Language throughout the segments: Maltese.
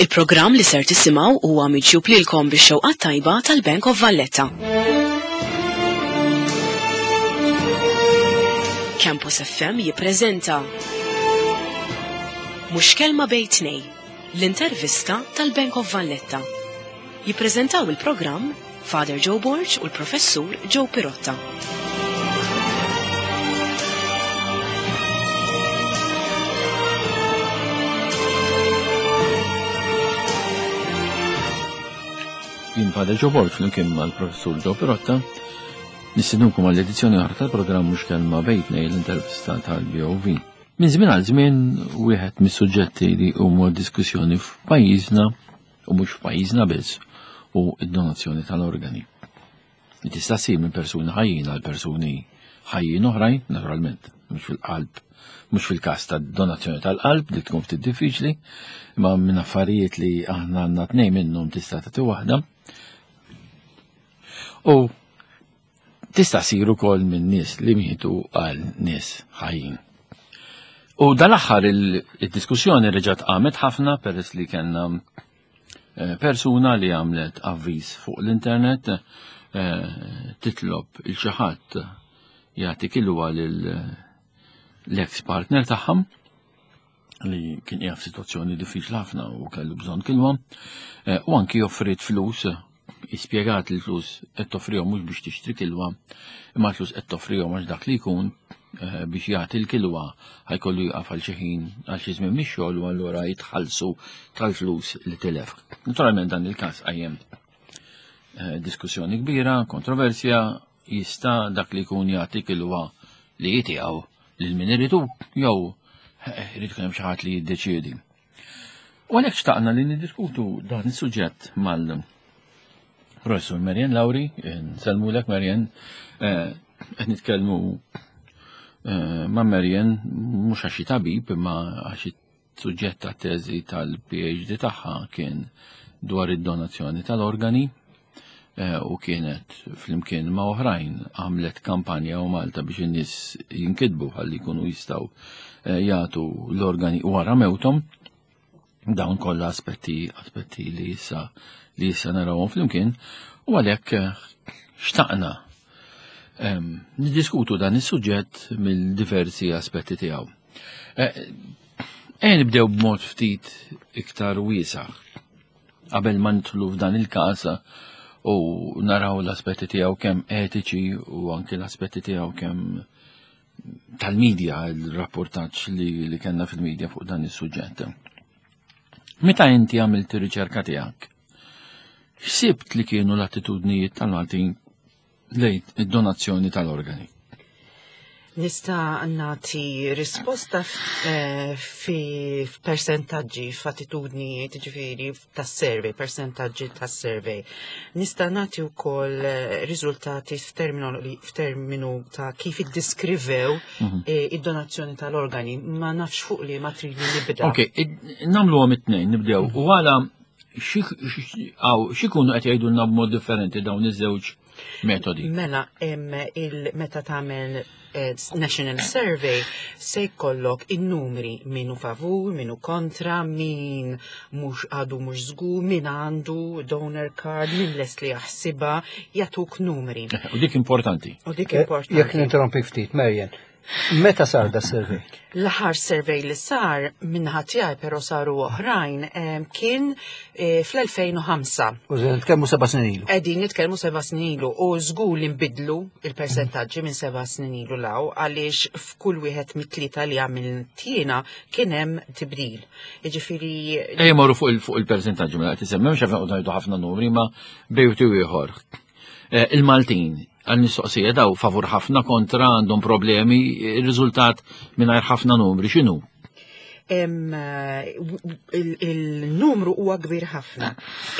Il-programm li ser tisimgħu huwa miġjub lilkom bix-xewqat tajba tal-Bank of Valletta. Campus FM jippreżenta Mhux kelma bejn tnej, l-intervista tal-Bank of Valletta. Jippreżentaw il-programm Father Joe Borg u l-Professur Joe Pirotta. Jien Father Joe Borg flimkien mal-Professur Joe Pirotta nistednukom għall-edizzjoni oħra tal-programm Mhux Kelma Bejn Tnejn l-intervista tal-BOV. Minn żmien għal żmien wieħed mis-suġġetti li huma diskussjoni f'pajjiżna u mhux f'pajjiżna biss hu d-donazzjoni tal-organi. Li tista' ssir minn persuni ħajjin għal persuni ħajjin oħrajn, naturalment, mhux fil-qalb, mhux fil-każ ta' donazzjoni tal-qalb li tkun ftit diffiċli, imma minn affarijiet li aħna għandna tnejn minnhom tista' tagħti waħda. U Tista' ssir ukoll minn nies li mietu għal nies ħajjin. U dal-aħħar il-diskussjoni reġgħet qamet ħafna peress li kellna eh, persuna li għamlet avviż fuq l-internet eh, titlob il xi ħadd jagħti kilwa lil l-ex partner tagħha li kien qiegħed f'sitwazzjoni diffiċli ħafna u kellu bżonn kilwa, eh, u anki offrit flus, ispjegat li flus qed toffrihom mhux biex tixtri kilwa, imma flus qed toffrihom għax dak li jkun eh, biex jagħti l-kilwa ħajkollu jaqaf għal xi ħin għal xi żmien mix-xogħol u allura jitħallsu tal-flus li tilef. Naturalment dan il-każ qajjem eh, diskussjoni kbira, kontroversja, jista' dak li jkun jagħti kilwa li jitiegħu lil min iridu jew eh, irid ikun hemm xi ħadd li jiddeċiedi. U għalhekk xtaqna li niddiskutu dan is-suġġett mal Professur Marian Lauri, nsellmulek Marian, eh, qed nitkellmu eh, ma' Marian mhux għax tabib imma għax Suġġett tat-teżi tal-PhD tagħha kien dwar id-donazzjoni tal-organi eh, u kienet flimkien ma' oħrajn għamlet kampanja u Malta biex in-nies jinkitbu ħalli jkunu jistgħu eh, jagħtu l-organi wara mewthom. Dawn kollha aspetti aspetti li issa li issa narawhom flimkien u għalhekk eh, xtaqna ehm, niddiskutu dan is-suġġett mill-diversi aspetti tiegħu. Ejja nibdew b'mod ftit iktar wiesa' qabel ma nidħlu f'dan il-każ u naraw l-aspetti tiegħu kemm etiċi u anke l-aspetti tiegħu kemm tal-medja, il-rapportaġġ li, li kellna fil-medja fuq dan is-suġġett. Meta inti għamilt ir-riċerka tiegħek, x'sibt li kienu l-attitudnijiet tal-Maltin lejn id-donazzjoni tal-organi? Nista' nagħti risposta eh, fi percentaġġi f'attitudnijiet ġifieri tas-survey, percentaġġi tas-survey. Nista' nagħti wkoll eh, riżultati f'terminu ta' kif iddiskrivew mhm. eh, id-donazzjoni tal-organi, ma nafx fuq li ma tridni nibda. Ok, nagħmluhom it-tnejn, nibdew. U għala x'ikunu qed jgħidulna b'mod differenti dawn iż-żewġ metodi? Mela, il-meta tagħmel eh, National Survey se jkollok in-numri min hu favur, min hu kontra, min mhux għadu mhux żgur, min għandu donor card, min lest li jaħsibha, jagħtuk numri. U dik importanti. U dik eh, importanti. Jekk ninterrompi ftit, Marian, Meta sar da survey? L-aħħar survey li sar minnaħa tiegħi però saru oħrajn kien eh, fl-2005. U nitkellmu seba' snin ilu. Qegħdin nitkellmu seba' snin ilu u żgur li nbidlu il-persentaġġi minn seba' snin ilu law għaliex f'kull wieħed mit-tlieta li għamilt jiena kien hemm tibdil. Jiġifieri Ejja morru fuq il-persentaġġi mela qed isemmi mhux qed ħafna numri ma bejtu ieħor. Eh, il-Maltin għal-mistoqsija daw favur ħafna kontra għandhom problemi, il-riżultat mingħajr ħafna numri x'inhu? Eh, il-numru huwa kbir ħafna.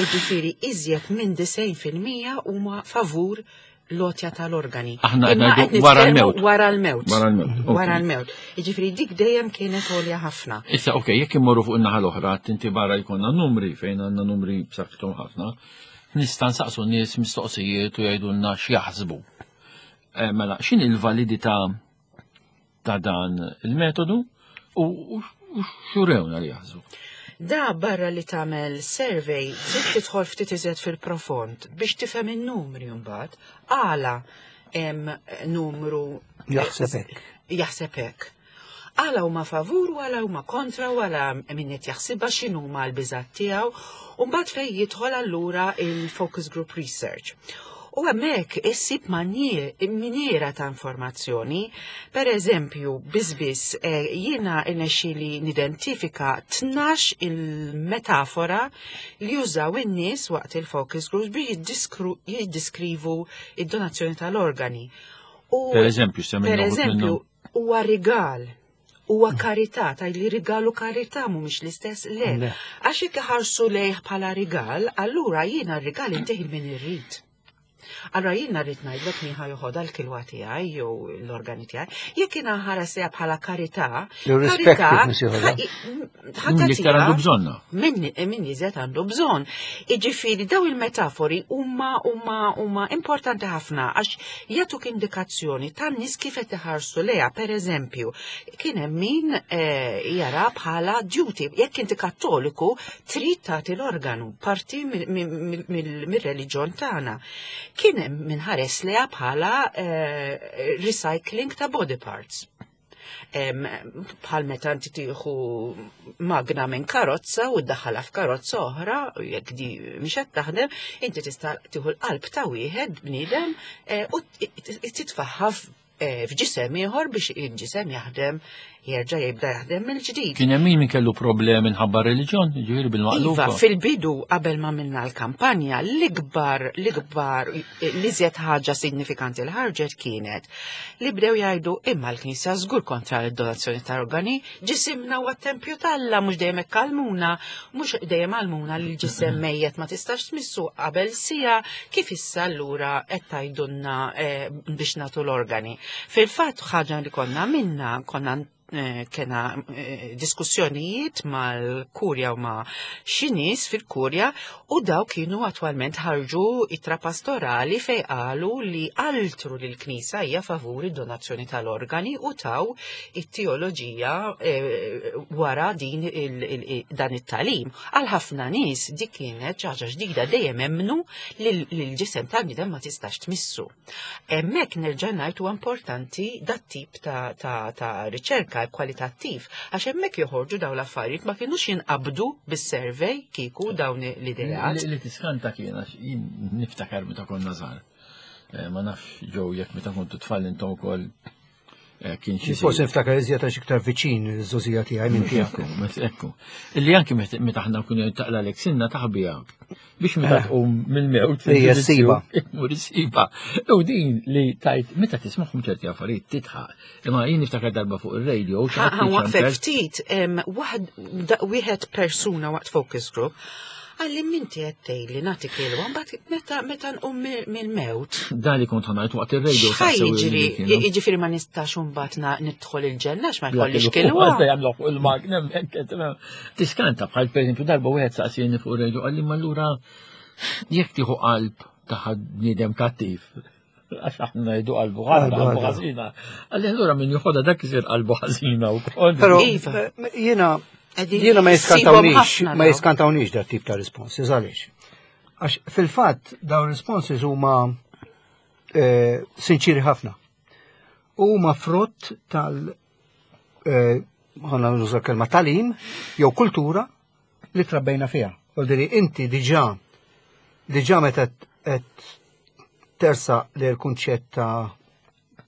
Iġifieri iżjed minn 90% huma favur l-otja tal-organi. Aħna qed wara l-mewt. Wara l-mewt. Wara l-mewt. Wara l-mewt. Jiġifieri dik dejjem kienet għolja ħafna. Issa ok, jekk immorru fuq in-naħa l-oħra, tinti barra jkollna numri fejn għandna numri b'saħħithom ħafna. Nista' nsaqsu nies mistoqsijiet u jgħidulna x'jaħsbu. Eh, mela, x'in il-validità ta' dan il-metodu u x'urewna li jaħsbu? Da barra li tagħmel survey trid tidħol ftit iżjed fil-profond biex tifhem in-numri mbagħad għala hemm numru Jaħseb hekk. Jaħseb hekk. Għala huma favur u għala huma kontra u għala min qed jaħsibha x'inhuma l-biżgħat tiegħu u mbagħad fejn jidħol allura il-focus group research. U hemmhekk issib miniera ta' informazzjoni. Per eżempju, biss jiena irnexxieli nidentifika 12 il-metafora li jużaw in-nies waqt il-focus groups biex jiddiskrivu id-donazzjoni tal-organi. U Per eżempju, semmi per eżempju, huwa rigal, huwa karità, taj li rigal u karità mhumiex l-istess le. Le. Għax jekk iħarsu lejh bħala rigal, allura jiena r-rigal intih min irrid. Allura jiena rrid ngħidlek min ħa joħodha l-kilwa tiegħi jew l-organi tiegħi. Jekk jiena nħares lejha bħala karità, Irrispective karità min se joħodha. Min iktar għandu bżonna. Min iżjed għandu bżonn. Iġifieri daw il-metafori huma huma huma importanti ħafna għax jagħtuk indikazzjoni tan-nies kif qed iħarsu lejha. Per eżempju, kien hemm min jara bħala duty. Jekk inti Kattoliku trid tagħti l-organu, parti mir-reliġjon tagħna. Kien hemm min ħares lejha bħala recycling ta' body parts. Bħal meta inti tieħu magna minn karozza u ddaħħalha f'karozza oħra, u jekk di mhix qed taħdem, inti tista' tieħu l-qalb ta' wieħed bniedem u titfaħħa f'ġisem ieħor biex il-ġisem jaħdem jerġa' jibda jaħdem mill-ġdid. Kien hemm min kellu problemi minħabba reliġjon, ġifieri bil-maqlub. Iva, fil-bidu qabel ma minna l-kampanja, l-ikbar, l-ikbar, l-iżjed ħaġa signifikanti li ħarġet kienet li bdew jgħidu imma l-Knisja żgur kontra l-donazzjoni ta' organi, ġisimna huwa tempju t'Alla, mhux dejjem hekk għallmuna, mhux dejjem għallmuna li l-ġisem mejjet ma tistax tmissu qabel sija, kif issa allura qed tgħidulna biex nagħtu l-organi. Fil-fatt ħaġa li konna minna, konna kena diskussjonijiet mal-kurja u ma' xi nies fil-kurja u daw kienu attwalment ħarġu ittra pastorali fej qalu li altru li l-Knisja hija favuri donazzjoni tal-organi u taw it-teoloġija wara din dan it-talim. Għal ħafna nies dik kienet xi ħaġa ġdida, dejjem emmnu li l-ġisem tal-bniedem ma tistax tmissu. Hemmhekk nerġa' ngħid huwa importanti dat tip ta' riċerka kwalitattiv, għax hemmhekk joħorġu dawn l-affarijiet ma kinux jinqabdu bis-survey kieku dawn l-ideat. Li tiskanta kien għax jien niftakar meta konna żgħar. Ma nafx ġew jekk meta kontu tfal intom ukoll kien xi Forsi niftakar iżjed għax iktar viċin iż-żgħożija tiegħi minn tiegħek. Ekku, ekku. Illi anki meta aħna nkunu taqla lek sinna taħbija biex meta tqum mill-mewt, Hija ssiba. Mur issiba. U din li tajt meta tismagħhom ċerti affarijiet titħaq. Imma jien niftakar darba fuq ir-radio, xi ħadd Ħa waqfek jiċċempel. ftit, wieħed persuna waqt focus group għalli minti qed tgħidli nagħti kilwa, mbagħad meta nqum mill-mewt. Da li kont ħanajt waqt ir-radio X'ħa saqsew li jiġri? kienu. Jiġifieri ma nistax imbagħad nidħol il-ġenna għax ma Bla jkollix kilwa. kilwa. Għadda jagħmlu fuq il-magna, hekk qed tagħmel. Tiskanta bħal pereżempju darba wieħed saqsieni fuq ir-radio qalli ma allura jekk tieħu qalb ta' ħadd bniedem kattiv, għax aħna ngħidu qalbu ħażina, Qalbu qalbu ħażina. ħażina. Qalli allura min joħodha dak isir qalbu ħażina wkoll. Però, Iva. Qegħdin jiena ma issibhom jiskantawniex, ħafna ma dawn. jiskantawniex dat tip ta' responses, għaliex? Għax fil-fatt dawn responses huma sinċiri ħafna. Huma frott tal ħana nuża kelma talim jew kultura li trabbejna fiha. Vuol dire inti diġà meta qed tersa li l-kunċett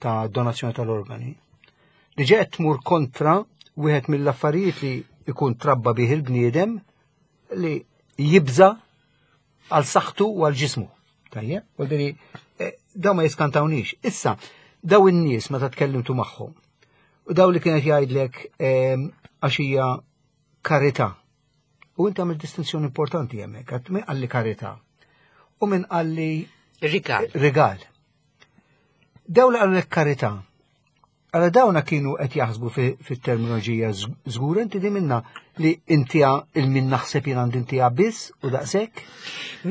ta' donazzjoni tal-organi, diġà qed tmur kontra wieħed mill-affarijiet li jkun trabba bih il-bniedem li jibża għal saħħtu u għal ġismu. Tajjeb, vuol dire daw ma jiskantawniex. Issa, daw in-nies meta tkellimtu magħhom, u daw li kienet jgħidlek għax hija karità. U inti għamil distinzjoni importanti hemmhekk, għad min qalli karità u min qalli Rigal. Rigal. Daw li qallek karità, Għala dawna kienu qed jaħsbu fit-terminoloġija żgur inti di minna li intija il-min naħseb jien għandi intija biss u daqshekk?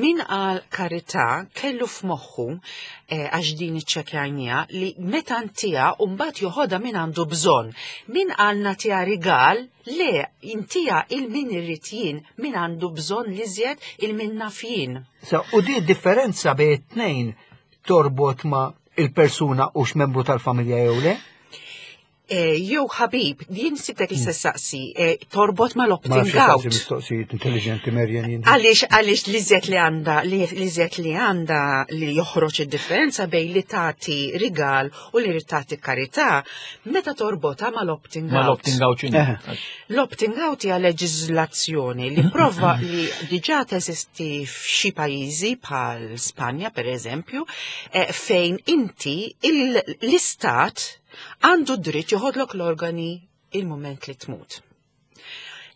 Min qal karità kellu f'moħħu eh, għax din iċċekjajnija li meta ntija u mbagħad joħodha min għandu bżonn. Min qal nagħtiha rigal le intija il-min irrid jien min għandu bżonn l-iżjed il-min naf jien. So, u di differenza bejn it-tnejn torbot ma' il-persuna hux membru tal-familja jew le? Eh, jew ħabib, jien sibtek li saqsi, eh, torbot ma l-opting out. Mistoqsijiet intelligenti Merjen jien. Għaliex għaliex li żed li għandha li żed li għandha li joħroġ id-differenza bejn li tagħti rigal u li tagħti karità, meta torbota ma l-opting out. Ma l-opting out x'inhi? Eh. L-opting out hija leġiżlazzjoni li prova li diġà teżisti f'xi pajjiżi bħal Spanja pereżempju, eh, fejn inti l-istat għandu dritt joħodlok l-organi il-moment li tmut.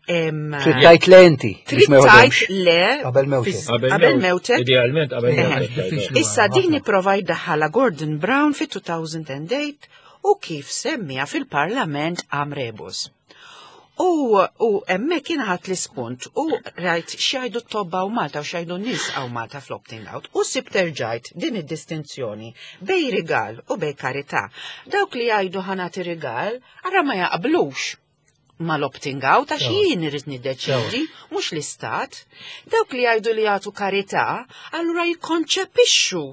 Trid tgħid le inti. Trid tgħid le qabel mewtek. Qabel mewtek. Idealment qabel mewtek. Issa din ipprova jdaħħalha Gordon Brown fit-2008 u kif semmija fil-Parlament għam rebus. U, u hemmhekk kien ħadd l-ispunt u rajt x'jgħidu t-tobba u Malta u x'jgħidu n-nies hawn Malta fl-opting out u sibt erġajt din id-distinzjoni bej rigal u bej karità. Dawk li jgħidu ħanati rigal, ara ma jaqblux mal-opting out għax jien irrid niddeċidi, mhux l-istat. Dawk li jgħidu li jagħtu karità, allura jikkonċepixxu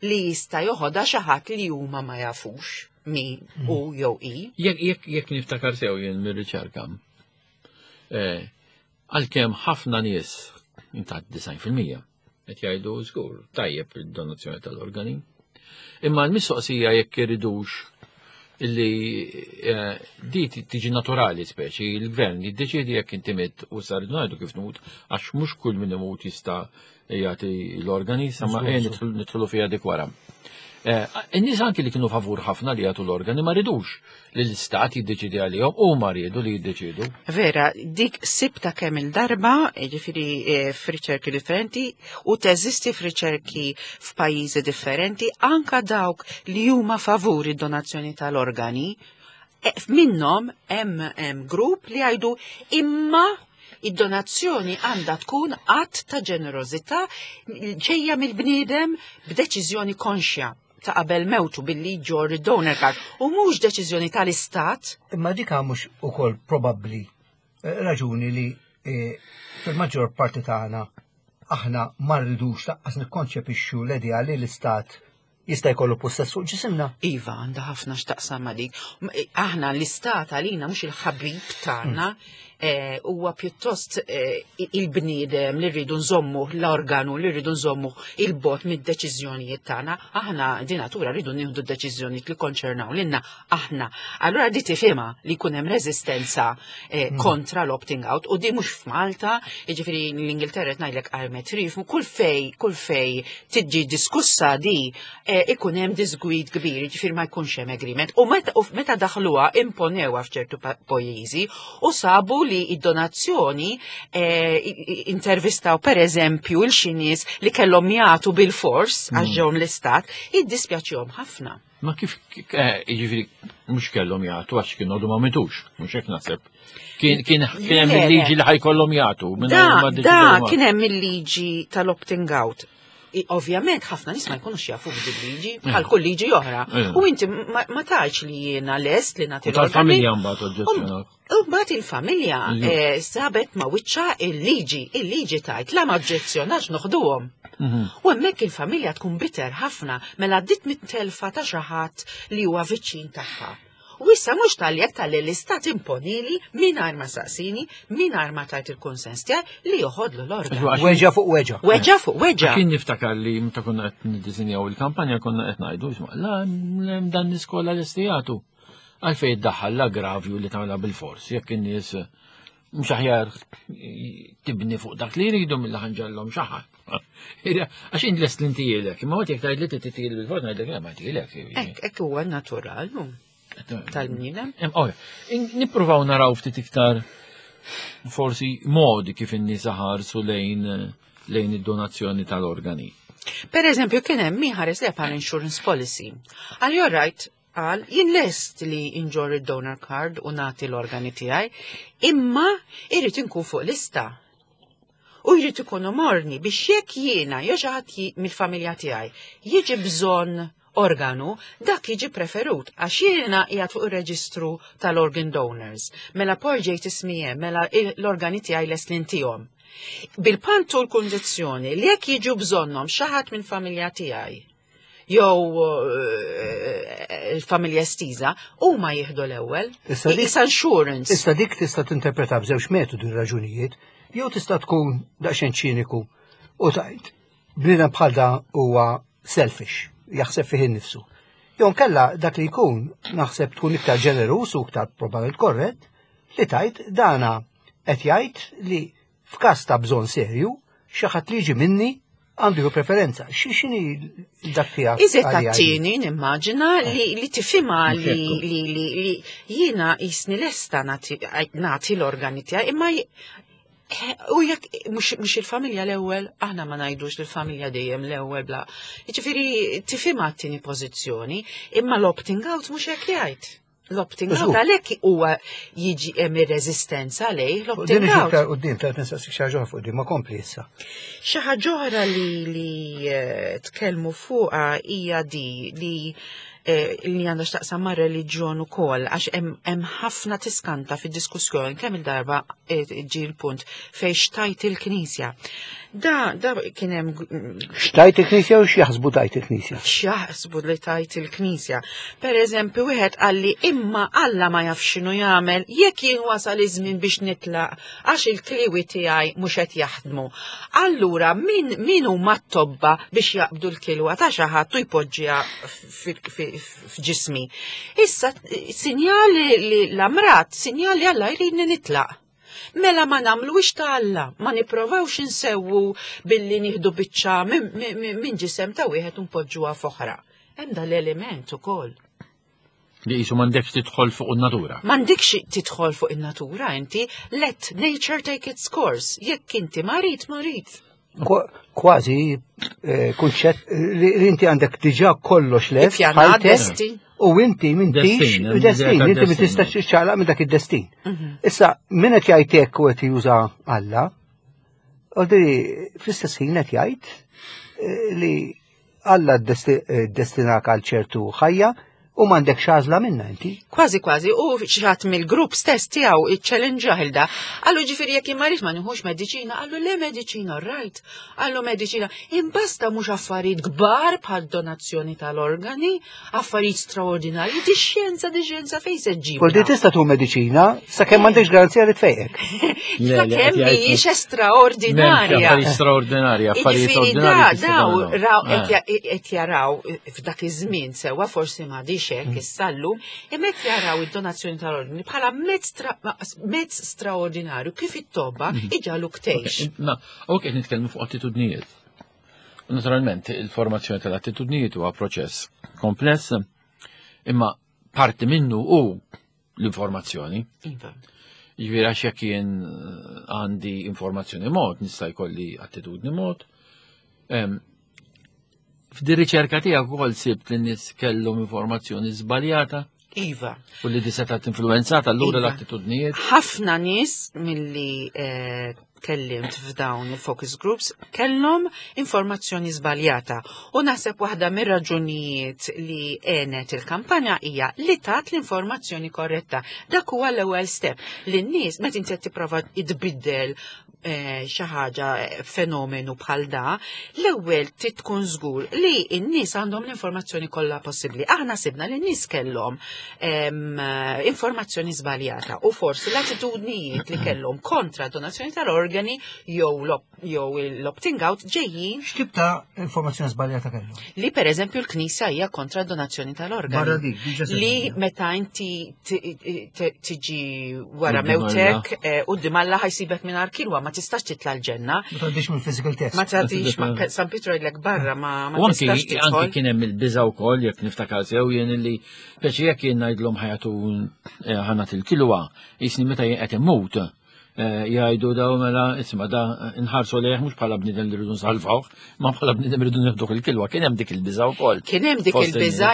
li jista' joħodha xi ħadd li huma ma jafux min hu jew hi. Jekk jekk jekk niftakar sew jien mir-riċerka. Eh, għalkemm ħafna nies ta' 90% qed jgħidu żgur tajjeb id-donazzjoni tal-organi. Imma l-mistoqsija jekk iridux illi eh, di tiġi naturali speċi, il-gvern jiddeċiedi jekk inti mitt u sar ngħidu kif tmut għax mhux kull min imut jista' jagħti l-organi, sama eh, nidħlu fiha dik wara. Eh, in-nies anki li kienu favur ħafna li jagħtu l-organi ma ridux li l-istat jiddeċidi għalihom u ma riedu li jiddeċidu. Vera, dik sibta kemm il-darba, jiġifieri eh, f'riċerki differenti, u teżisti f'riċerki f'pajjiżi differenti, anka dawk li huma favur id-donazzjoni tal-organi, minnhom hemm grupp li jgħidu imma Id-donazzjoni għandha tkun att ta' ġenerożità ġejja mill-bniedem b'deċiżjoni konxja ta' qabel mewtu billi jġorr id-donor card u mhux deċiżjoni tal-istat. Imma dik mhux ukoll probabbli eh, raġuni li eh, fil-maġġor parti tagħna aħna ma rridux laqqas nikkonċepixxu l-idea li l-istat jista' jkollu pussess fuq ġisimna. Iva, għandha ħafna x'taqsam ma' dik. Aħna l-istat għalina mhux il-ħabib tagħna mm. eh, huwa pjuttost eh, il-bniedem li rridu nżommu l-organu li rridu nżommu il-bot mid-deċiżjonijiet tagħna. Aħna di natura rridu nieħdu d-deċiżjonijiet li konċernaw lilna aħna. Allura di tifhimha li jkun hemm reżistenza eh, mm. kontra l-opting out u di mhux f'Malta, jiġifieri l-Ingilterra qed ngħidlek għajmet rif, kull fej, kull fej tiġi diskussa di eh, ikun hemm disgwid kbir, jiġifieri ma jkunx hemm agreement. U meta daħluha imponewha f'ċertu pajjiżi u sabu li id-donazzjoni eh, intervistaw pereżempju il xi nies li kellhom jagħtu bil-fors għax mm. ġew l-istat, iddispjaċihom ħafna. Ma kif, eh, jiġifieri mhux kellhom jagħtu għax kienu għadu ma mitux, mhux hekk naħseb. Kien kien hemm il-liġi li ħajkollhom jagħtu. Da, da kien hemm il-liġi tal-opting out. Ovvjament ħafna nies ma jkunux jafu b'din liġi eh. bħal kull liġi oħra. Eh. U inti ma tgħidx li jiena lest li nagħti Tal-familja mbagħad oġġezzjonaw. U mbagħad il-familja eh, sabet ma wiċċa il-liġi, il-liġi tajt la ma oġġezzjonax noħduhom. Mhm. U hemmhekk il-familja tkun bitter ħafna mela għaddiet mit-telfa ta' xi ħadd li huwa viċin tagħha. U issa mhux tal jekk tal l-istat imponili mingħajr ma saqsini, mingħajr ma tajt il-kunsens tiegħi li joħodlu l-organ. Weġa fuq weġa. Weġa fuq weġa. Kien niftakar li meta konna qed niddisinjaw il-kampanja konna qed ngħidu, la dan l-iskola l-istijatu. Għalfejn iddaħħal l-aggravju li tagħmilha bil-fors, jekk in-nies mhux aħjar tibni fuq dak li jridu mill ħanġallhom xi ħadd. Għax int lest li ntielek, imma waqt jekk tgħid li tittiel bil-fors ngħidlek ma tielek. Hekk hekk huwa natural tal-bniedem. Nippruvaw naraw ftit iktar forsi modi kif in-nies ħarsu lejn lejn id-donazzjoni tal-organi. Per eżempju, kien hemm min ħares li bħal insurance policy. Għal you're right, qal jien lest li inġorr id-donor card u nagħti l-organi tiegħi, imma irrid inkun fuq lista. U jrid ikunu morni biex jekk jiena jew xi ħadd mill-familja tiegħi jiġi bżonn organu, dak jiġi preferut għax jiena qiegħed fuq ir-reġistru tal-organ donors. Mela poġġejt ismi hemm, mela l-organi tiegħi lest li ntihom. Bil-pantu l-kundizzjoni li jekk jiġu bżonnhom xi ħadd minn familja tiegħi jew eh, il-familja estiża, huma jieħdu l-ewwel. Issa insurance. Issa dik tista' tinterpreta b'żewġ metodi raġunijiet, jew tista' tkun daqsxejn ċiniku u tajt bniedem bħal da huwa selfish, jaħseb fih innifsu. Jew kella dak li jkun naħseb tkun iktar ġenerus u iktar probabbilment korrett li tajt dana qed jgħid li f'każ ta' bżonn serju xi ħadd li jiġi minni għandu ju preferenza. Xi xini dak tiegħek? Iżet tat-tieni nimmaġina li li tifhimha li li li li jiena jisni lesta nagħti l-organi tiegħi imma U jekk mhux il-familja l-ewwel, aħna ma ngħidux li l-familja dejjem l-ewwel bla. Jiġifieri tifhimha t-tieni pożizzjoni, imma l-opting out mhux hekk jgħid. L-opting out għalhekk huwa jiġi hemm ir-reżistenza lejh l-opting out. Din quddiem ta' nistaqsik xi ħaġa fuq din ma kompli issa. Xi ħaġa oħra li li eh, tkellmu fuqha hija di li eh, li għandha x'taqsam ma' reliġjon ukoll għax hemm ħafna tiskanta fid-diskussjoni kemm il-darba eh, ġie l-punt fejn xtajt il-Knisja. Da, da kien hemm Xtajt il-Knisja u x'jaħsbu tajt il-Knisja? X'jaħsbu li tajt il-Knisja. Per eżempju, wieħed qalli imma Alla ma jaf x'inhu jagħmel jekk jien wasal iż-żmien biex nitlaq għax il-kliwi tiegħi mhux qed jaħdmu. Allura min min huma t-tobba biex jaqbdu l-kilwa ta' xi ħadd u jpoġġiha f'ġismi. Issa sinjal li l-amrat, sinjal li Alla jridni nitlaq. Mela ma nagħmluhiex ta' Alla, ma nipprovawx insewwu billi nieħdu biċċa minn ġisem ta' wieħed u npoġġuha f'oħra. Hemm dal-element ukoll. Li jisu m'għandekx tidħol fuq in-natura. M'għandekx tidħol fuq in-natura inti, let nature take its course. Jekk inti marid, marid. Kważi eh, kunċett li inti għandek diġà kollox lest. Destin. U inti m'intix destin, inti ma tistax tiċċaqlaq minn dak id-destin. Mhm. Issa, min qed jgħid hekk u qed juża Alla, għodri fl-istess ħin qed jgħid eh, li Alla ddestinak għal ċertu ħajja u m'għandekx għażla minnha inti. Kważi kważi, u xi mill-grupp stess tiegħu iċċellenġah il da. Qallu ġifieri jekk imma ma nieħux mediċina, qallu le mediċina, right. Qallu mediċina, imbasta mhux affarijiet kbar bħal donazzjoni tal-organi, affarijiet straordinarji, di xjenza, di xjenza fejn se ġib. Poldi tista' tu mediċina sakemm m'għandekx garanzija li tfejqek. Sakemm mhijiex estraordinarja. Affarijiet straordinarja, affarijiet ordinarji. Daw raw eh. qed jaraw f'dak iż-żmien sewwa forsi m'għadix hekk mm. issa llum, imma qed jaraw id-donazzjoni tal-ordni bħala mezz straordinarju kif it-tobba mm. iġaluk tgħix. Ma, ok qed nitkellmu fuq attitudnijiet. Naturalment, il-formazzjoni tal-attitudnijiet huwa proċess kompless, imma parti minnu hu l-informazzjoni. Iva. Jiġifieri għax jekk jien eh, għandi informazzjoni mod, nista' jkolli attitudni mod. F'di riċerka tiegħek ukoll sibt li nies kellhom informazzjoni żbaljata. Iva. U li di seta' influenzata allura iva. l-attitudnijiet. Ħafna nies milli eh, kellimt f'dawn il-focus groups kellhom informazzjoni żbaljata. U naħseb waħda mir-raġunijiet li għenet il-kampanja hija li tat l-informazzjoni korretta. Dak huwa l-ewwel step li n-nies meta inti qed tipprova tbiddel Eh, xi ħaġa eh, fenomenu bħal da, l-ewwel trid tkun żgur li n-nies għandhom l-informazzjoni kollha possibbli. Aħna sibna li n-nies kellhom eh, informazzjoni żbaljata u forsi l-attitudnijiet li kellhom kontra donazzjoni tal-organi jew jew l-opting out ġejjin. X'tip ta' informazzjoni żbaljata kellhom? Li pereżempju l-Knisja hija kontra donazzjoni tal-organi. Li meta inti tiġi wara mewtek eh, quddiem Alla ħajsibek mingħajr kilwa ma tistax titla' l-ġenna. Ma tgħaddix mill-physical test. Ma tgħaddix San Pietro jgħidlek barra ma tistax tidħol. Anki kien hemm il-biża wkoll jekk niftakar sew jien li peċi jekk jien ngħidlhom ħajatu eh, ħanat il-kilwa jisni meta jien qed immut. Eh, jgħidu daw mela isma' da nħarsu lejh mhux bħala bniedem li rridu nsalvawh, ma bħala bniedem rridu nieħduh il-kilwa. Kien hemm dik il-biża' wkoll. Kien hemm dik il-biża'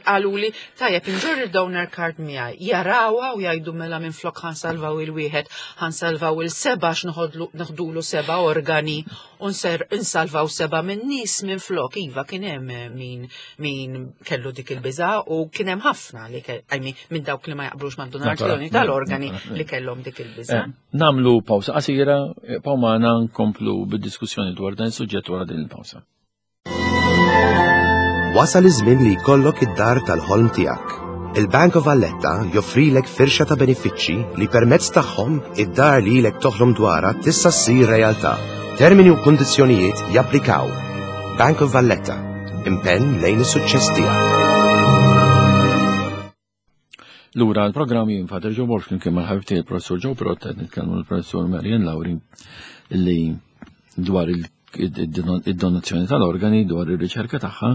qaluli tajjeb inġorr il-donor card miegħi. Jarawha u jgħidu mela minflok ħansalvaw il-wieħed, ħansalvaw il-seba' x'noħdulu seba' organi u nsalvaw seba' minn nies minflok. Iva kien hemm eh, min min kellu dik il-biża' u kien hemm ħafna li I mean, minn dawk li ma jaqblux mad-donazzjoni tal-organi li kellhom dik il-biża'. Eh, namlu pawsa qasira, eh, pawmana nkomplu bid-diskussjoni dwar dan is-suġġett wara din il-pawsa. Wasal iż-żmien li jkollok id-dar tal-ħolm tiegħek. Il-Bank of Valletta joffrilek firxa ta' benefiċċji li permezz tagħhom id-dar li ilek toħlom dwarha tista' ssir realtà. Termini u kundizzjonijiet japplikaw. Bank of Valletta, impenn lejn is-suċċess tiegħek. Lura l-programm jien Father Joe Borg kien mal-ħabib tiegħi il-Professur Joe Prott qed nitkellmu l-Professur Marian Lauri li dwar id-donazzjoni tal-organi, dwar ir-riċerka tagħha,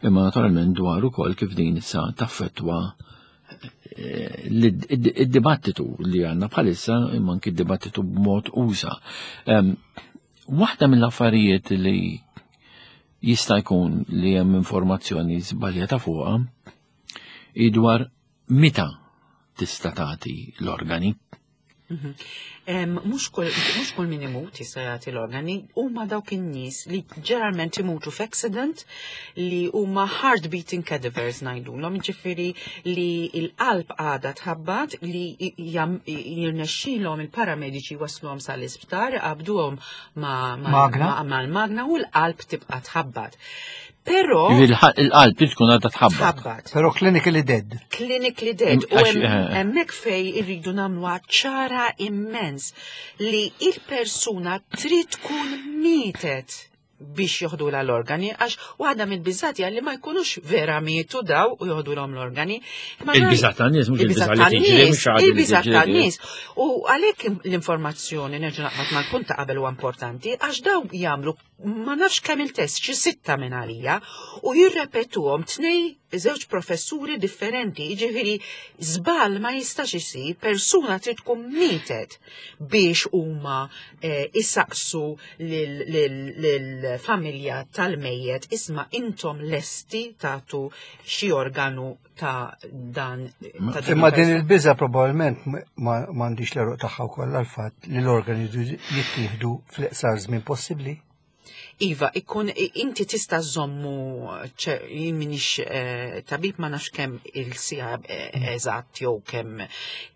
imma naturalment dwar ukoll kif din issa taffettwa eh, id-dibattitu li għandna bħalissa imma anki d-dibattitu b'mod usa. Waħda mill-affarijiet li jista' jkun li hemm informazzjoni żbaljata fuqha hi dwar meta tista' tagħti l-organi. Mhm. Mhux kull min imut jista' jagħti l-organi, huma dawk in-nies li ġeneralment imutu f'accident li huma heart beating cadavers ngħidulhom, jiġifieri li l-qalb għadha tħabbat li jirnexxilhom il-paramediċi wasluhom sal-isptar, qabduhom mal-magna u l-qalb tibqa' tħabbat. Però. Il-qalb trid tkun għadha tħabbat. Tħabbat. Però clinically dead. Clinically dead. U eh. hemmhekk fej irridu nagħmluha ċara immens li il-persuna trid tkun mietet biex joħdu l-organi, għax waħda mill-biżat li ma jkunux vera mietu daw u joħdu l-organi. Il-biżat tan-nies mhux il-biżat li tiġri, mhux il-biżat tan-nies. U għalhekk l-informazzjoni nerġa' naqbad mal-punt ta' qabel huwa importanti għax daw jagħmlu ma nafx kemm il-test, xi sitta minn għalija, u jirrepetuhom tnej żewġ professuri differenti, jiġifieri żball ma jistax isir, persuna trid tkun mietet biex huma eh, isaqsu lill-familja tal-mejjet isma' intom lesti tagħtu xi organu ta' dan. Imma din il-biża probabbilment m'għandix l-eruq tagħha wkoll għall-fatt li l-organi jittieħdu fl-iqsar żmien possibbli. Iva, ikun inti tista' żommu jien minix eh, tabib ma nafx kemm il-sija eh, eżatt jew kemm.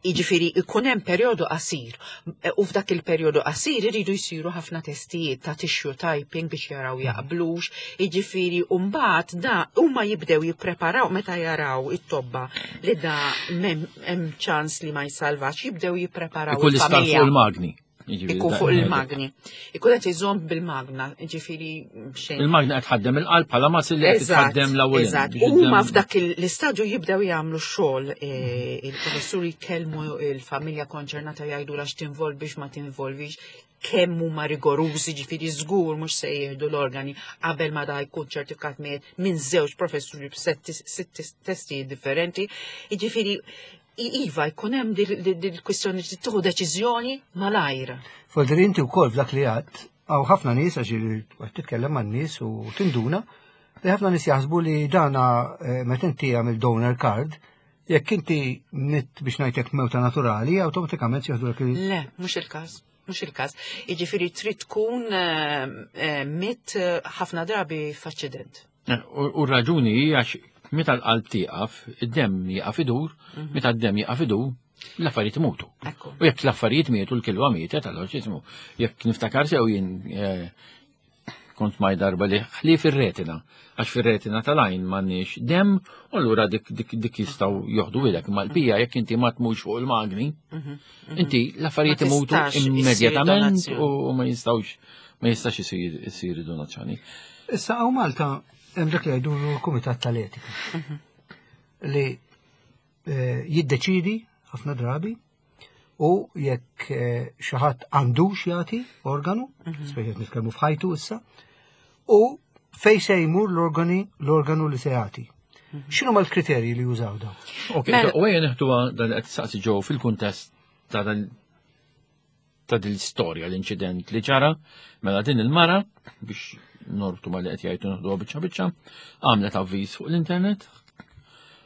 Jiġifieri ikun hemm perjodu qasir eh, u f'dak il-perjodu qasir iridu jsiru ħafna testijiet ta' tissue typing biex jaraw jaqblux, Jiġifieri u mbagħad da huma jibdew jippreparaw meta jaraw it-tobba li da hemm ċans li ma jsalvax, jibdew jippreparaw. Ikun l-istar fuq il-magni. Ikun fuq il-magni. Ikun qed iżomm bil-magna, ġifieri xejn. Il-magna qed tħaddem il-qalb bħala ma li qed tħaddem l-ewwel. Eżatt. Huma f'dak l-istadju jibdew jagħmlu xogħol eh, il-professuri jkellmu il-familja konċernata jgħidu għax tinvolvix ma tinvolvix kemm huma rigorużi ġifieri żgur mhux se jieħdu l-organi qabel ma da jkun ċertifikat minn żewġ professuri b'sitt testijiet differenti. Jiġifieri iva jkun hemm dil-kwistjoni li tieħu deċiżjoni malajr. Folder inti wkoll f'dak li għadd hawn ħafna nies għax qed titkellem man-nies u tinduna li ħafna nies jaħsbu li dana eh, meta inti għamil donor card Jekk inti mitt biex ngħidlek mewta naturali, awtomatikament jieħdu il Le, mhux il-każ. Mhux il-każ. Jiġifieri trid tkun eh, eh, mitt eh, ħafna drabi f'aċċident. U r-raġuni hi għax meta l-qalb tieqaf, id-demm jieqaf idur, mhm. meta d-demm jieqaf idur, l-affarijiet imutu. U jekk l-affarijiet mietu, l-kilwa mietet, allora x'ismu. Jekk niftakar sew jien Kont maj darba li ħlief ir-retina, għax fir-retina tal-għajn m'għandniex demm, u allura dik dik dik jistgħu joħdu ilek. Ma l-pija jekk inti ma tmux fuq il-magni, mhm, mhm. inti l-affarijiet imutu immedjatament u ma jistgħux ma jistax isir donazzjoni. Issa hawn Malta hemm dak li jgħidu l-Kumitat tal-Etika mhm. li eh, jiddeċidi ħafna drabi U jekk eh, xi ħadd għandux jagħti organu, mhm. speċi nitkellmu f'ħajtu issa, u fej se jmur l-organi l-organu li se jagħti. Mhm. X'inhu mal-kriterji li jużaw daw? Ok, mela- u għajja neħduha dan qed saqsi ġew fil-kuntest ta' dan ta' din l-istorja l-inċident li ġara mela din il-mara biex norbtu ma li qed jgħidu noħduha biċċa biċċa, għamlet avviż fuq l-internet,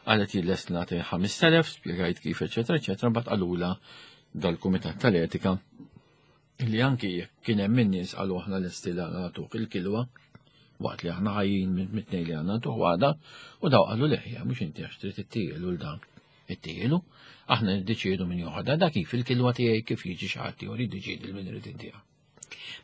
qalet jien lest nagħti 5000, spjegajt kif eċetera eċetera, mbagħad qalula dal-Kumitat tal-Etika li anki jekk kien hemm in-nies qalu aħna lesti li nagħtuk il-kilwa waqt li aħna ħajjin mit-tnejn li għandna ntuh għada u daw qalu leħja mhux inti għax trid ittielu l dan ittielu aħna niddeċiedu min joħodha da kif il-kilwa tiegħi kif jiġi xi ħadd ieħor jiddeċiedi l min irid intiha.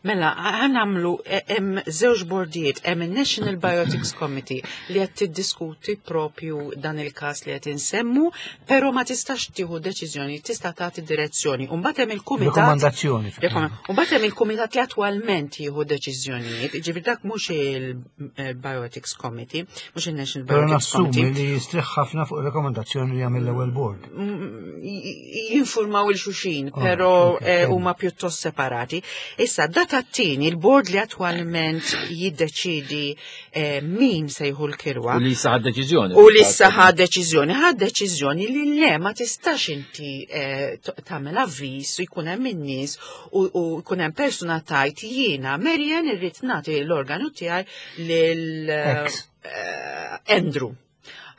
Mela, għanamlu, e, hemm żewġ bordijiet, hemm il-National Biotics Committee li qed tiddiskuti propju dan il-każ li qed insemmu, però ma tistax tieħu deċiżjoni, tista' tagħti direzzjoni. U mbagħad hemm il-kumitat. Rekomandazzjoni. U mbagħad hemm il-kumitat li attwalment jieħu deċiżjonijiet, ġifieri dak mhux il-Biotics Committee, mhux il-National Biotics Committee. Però li jistrieħ ħafna fuq rekomandazzjoni li jagħmel l-ewwel board. Jinfurmaw il-xuxin, oh, però eh, huma pjuttost separati. Issa, data t-tieni, il-bord li attwalment jiddeċidi eh, min se jieħu l-kirwa. U li issa ħad deċiżjoni. U li issa ħad deċiżjoni, ħad deċiżjoni li le ma tistax inti eh, tagħmel avviż u jkun hemm in-nies u jkun hemm persuna tajt jiena Marian irrid nagħti l-organu tiegħi lil eh, Andrew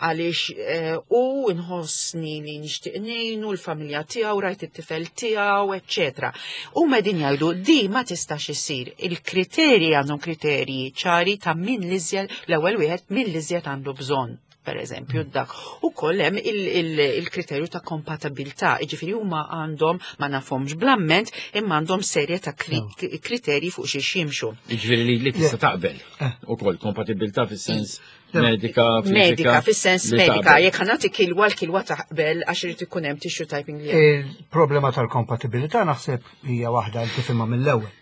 għaliex eh, u nħossni li nixtieq ngħinu l-familja tiegħu, rajt it-tifel tiegħu, eċċetera. U medin jgħidu di ma tistax isir. Il-kriterji għandhom kriterji ċari ta' min l-iżjed l-ewwel wieħed min l-iżjed għandu bżonn per eżempju, dak. U kollem il-kriterju ta' kompatibilità, ġifiri huma għandhom ma nafhomx blamment, imma għandhom serje ta' kriterji fuq xi jimxu. Ġifiri li tista' taqbel. Eh. U koll kompatibilità fis-sens Medika, Medika, fis-sens medika, jekk ħanati kilwa l-kilwa taqbel għax irid ikun hemm tissue typing li. Il-problema tal-kompatibilità naħseb hija waħda li tifhimha mill-ewwel.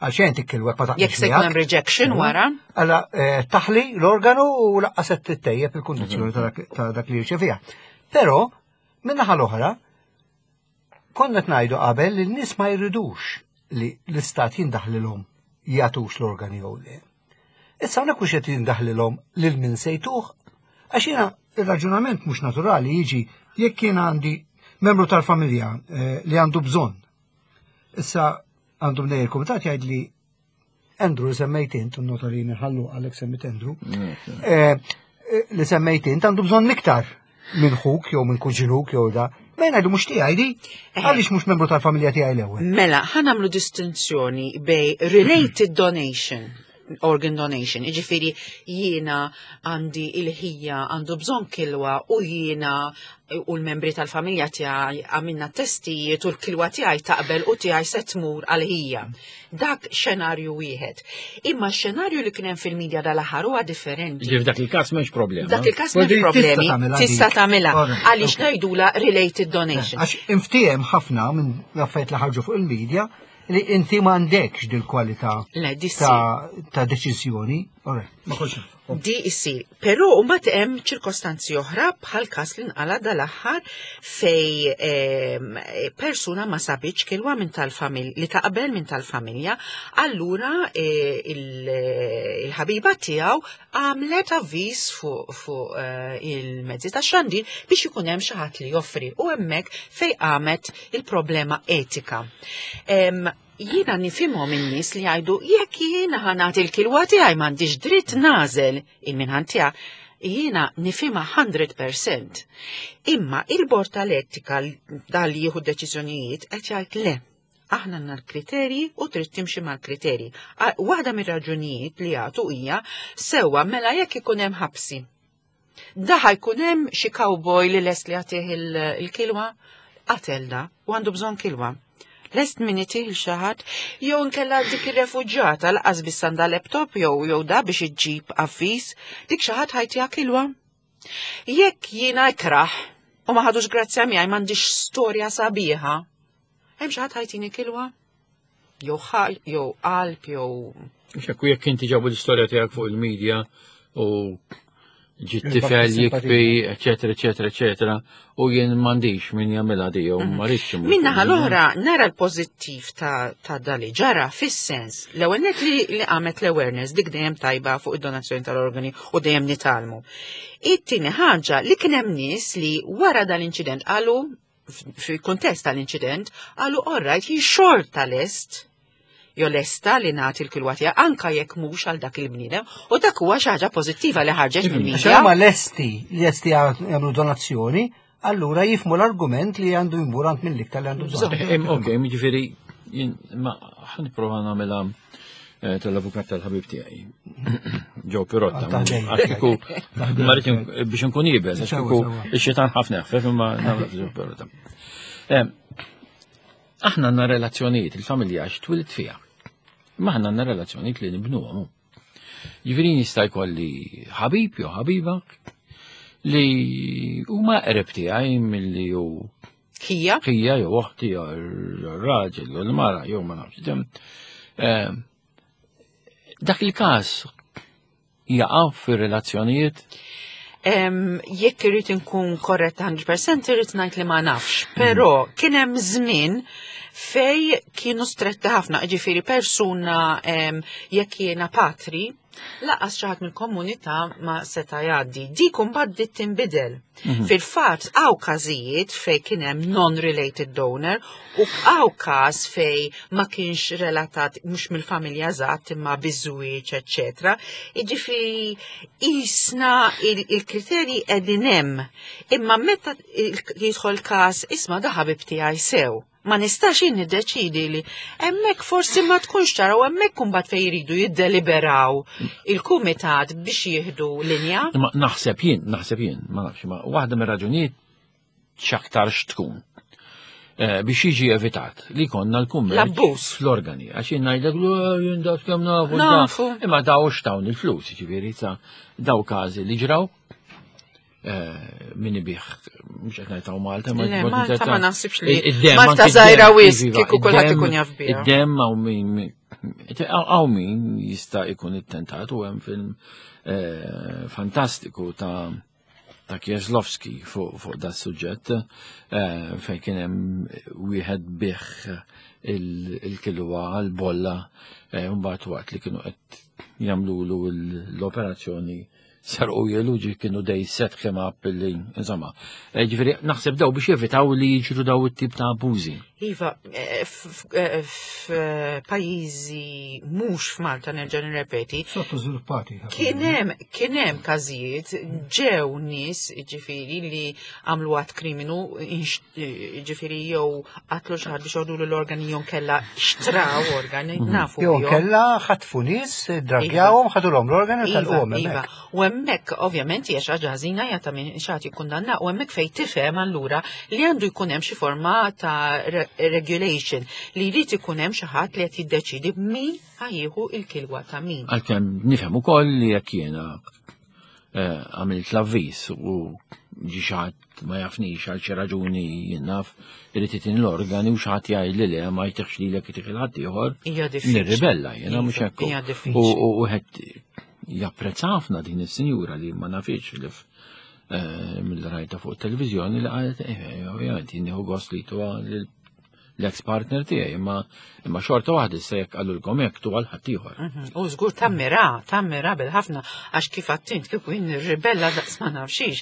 Għax inti kilwa ma taqbel. Jekk se jkun hemm rejection mhm. wara. Alla eh, taħli l-organu u laqqas qed tittejjeb il-kundizzjoni mhm. ta' dak li jirċeviha. Però, min-naħa l-oħra, konna qed ngħidu qabel li n-nies ma jridux li l-istat jindaħlilhom jagħtux l-organi jew le. Issa hawnhekk mhux qed jindaħlilhom lil min sejtuh, għax jiena ir-raġunament mhux naturali jiġi jekk jien għandi membru tal-familja eh, li għandu bżonn. Issa għandu mnej il-kumitat jgħid li Andrew li semmejt int, nota li nħallu għalek semmit Andrew, eh, eh, li semmejt int għandu bżonn iktar minn ħuk jew minn kuġinuk jew da. Ma jgħidu mhux tiegħi di, għaliex mhux membru tal-familja tiegħi l-ewwel. Mela, ħa nagħmlu distinzjoni bej related donation organ donation, iġifiri jiena għandi il-ħija għandu bżon kilwa u jiena u l-membri tal-familja tiegħi għamilna testijiet u l-kilwa tiegħi taqbel u tiegħi se tmur għal-ħija. Dak xenarju wieħed. Imma x-xenarju li kien hemm fil-medja dal-aħħar huwa differenti. Ġif dak il-każ m'hemmx problema. Dak il-każ m'hemmx problemi. Tista' tagħmilha għaliex ngħidula related donation. Għax inftiehem ħafna minn affarijiet li ħarġu fuq il-medja li inti m'għandekx dil-kwalità ta' deċiżjoni. Ma kollx Di issir. Però mbagħad hemm ċirkostanzi oħra bħal każ li nqala dal-aħħar fej ehm, persuna ma sabitx kilwa minn tal-familja li taqbel minn tal-familja, allura eh, il-ħabiba tiegħu għamlet avviż fuq fu, eh, il-mezzi ta' xandir biex ikun hemm xi ħadd li joffri u hemmhekk fej qamet il-problema etika. Ehm, Jiena nifhimhom in-nies li jgħidu jekk jiena ħa nagħti l-kilwa tiegħi m'għandix dritt nagħżel il-min tiegħi. Jiena nifhimha 100%. Imma il-bord tal-etika dal jieħu deċiżjonijiet qed jgħid le. Aħna għandna l-kriterji u trid timxi mal-kriterji. Waħda mir-raġunijiet li jagħtu hija sewwa mela jekk ikun hemm ħabsi. Daħa jkun hemm xi cowboy li lest li jagħtih il-kilwa, qatel da u għandu bżonn kilwa. Lest min itih il xi ħadd jew inkella dik ir-refuġjata laqas biss għandha laptop jew jew da biex iġġib avviż, dik xi ħadd ħajtiha kilwa. Jekk jiena ikrah u ma ħadux grazzja miegħi m'għandix storja sabiħa, hemm xi ħadd ħajtini kilwa? Jew ħal, jew qalb, jew. Xekku jekk inti ġabu l-istorja tiegħek fuq il-medja u ġit tifel jikbi, eccetera, eccetera, eccetera, u jien m'għandix min jagħmilha di jew ma rridx. Minna l-oħra nara l-pożittiv ta', ta dali ġara fis-sens l-ewwel net li, li qamet l-awareness dik dejjem tajba fuq id-donazzjoni tal-organi u dejjem nitalmu. It-tieni ħaġa li kien hemm nies li wara dal-inċident qalu. fil-kuntest tal-inċident qalu orrajt jien xorta lest jo lesta li nagħti l-kilwa tiegħi anka jekk mhux għal dak il-bniedem u dak huwa xi ħaġa pożittiva li ħarġet mill-media. Huma lesti li lesti jagħmlu donazzjoni, allura jifmu l-argument li għandu jmur għand mill-iktar li għandu bżonn. Eh, ok, jiġifieri ma ħanipprova nagħmilha eh, tal-avukat tal-ħabib tiegħi. Ġo Pirotta. Għax kieku biex nkun ibes, għax kieku ix-xitan ħafna ħfef imma nagħmel Ġo Pirotta. Eh, Aħna għandna relazzjonijiet, il-familja għax twilt fiha. Ma aħna għandna relazzjonijiet li nibnuhom. Jiġifieri jista' jkolli ħabib jew ħabiba li huma qrib tiegħi milli hu Ħija? Ħija jew oħti jew raġel jew l-mara jew ma nafx. Eh, dak il-każ jaqa' fir-relazzjonijiet? Jekk irrid inkun korrett 100% irrid ngħid li ma nafx, però kien hemm żmien fej kienu stretti ħafna, ġifieri persuna jekk jiena patri, laqas xi ħadd mill-komunità ma seta' jgħaddi. Dik imbagħad bdiet tinbidel. Mhm. Fil-fatt hawn każijiet fej kien hemm non-related donor u hawn każ fej ma kienx relatat mhux mill-familja eżatt imma biż-żwieġ, eċċetera. Jiġifieri isna il-kriterji qegħdin hemm. Imma meta jidħol każ isma' da ħabib tiegħi sew. Ma nistax jien niddeċidi li hemmhekk forsi ma tkunx ċara u hemmhekk imbagħad fejn jridu jiddeliberaw il-kumitat biex jieħdu linja. Ma naħseb jien, naħseb jien, ma nafx, ma waħda mir-raġunijiet x'aktarx tkun. Eh, biex jiġi evitat li konna l-kummerċ fl-organi. Għax jien ngħidlek eh, jien dak kemm nafu. Nafu. Imma daw x'tawn il-flus, ġifieri sa daw każi li ġraw Eh, min ibih, mux qed ngħid Malta, ma Malta ma naħsibx li Malta żgħira wis kieku kulħadd ikun jaf biha. Id-demm hawn min hawn min jista' jkun ittentat u hemm film eh, fantastiku ta' ta' Kieslowski fuq da' suġġett eh, fejn kien hemm wieħed bih il-kilwa l-bolla mbagħad waqt li kienu qed jagħmlulu l-operazzjoni sarqu jeluġi kienu dej set him up li insomma. Eh, ġifieri naħseb daw biex jevitaw li jiġru daw it-tip ta' abużi. Iva, eh, eh, f'pajjiżi mhux f'Malta nerġa' nirrepeti. Sottożviluppati. Kien hemm kien hemm każijiet ġew nies ġifieri li għamlu għat kriminu ġifieri jew qatlu xi ħadd biex joħdu l-organi jew kella xtraw organi, mhm. nafu. Jew kella ħatfu nies, dragjawhom, ħadulhom l-organi iva, tal-qom. Iva. U hemmhekk ovvjament hija xi ħaġa ħażina hija ta' min xi ħadd jikkundanna u hemmhekk fejn tifhem allura li għandu jkun hemm xi forma ta' regulation li jrid ikun hemm xi ħadd li qed jiddeċidi min ħajjieħu il-kilwa ta' min. Għalkemm nifhem ukoll li jekk jiena eh, għamilt l-avviż u ġi xaħat ma jafnix għal xi raġuni jien naf irid itin l-organi u xaħat jgħid li le ma jtiħx lilek itih il-ħadd ieħor. Nirribella jiena mhux hekk. U wieħed japprezza ħafna din is-sinjura li ma nafix li eh, mill-rajta fuq televizjoni li qalet eh, ovvjament jien nieħu gost li tuha l-ex partner tiegħi, imma imma xorta waħda issa jekk qalulkom hekk tu għal ħaddieħor. Mhm. U żgur tammira, tammira bil-ħafna għax kif għattint kieku jien nirribella daqs ma nafxix.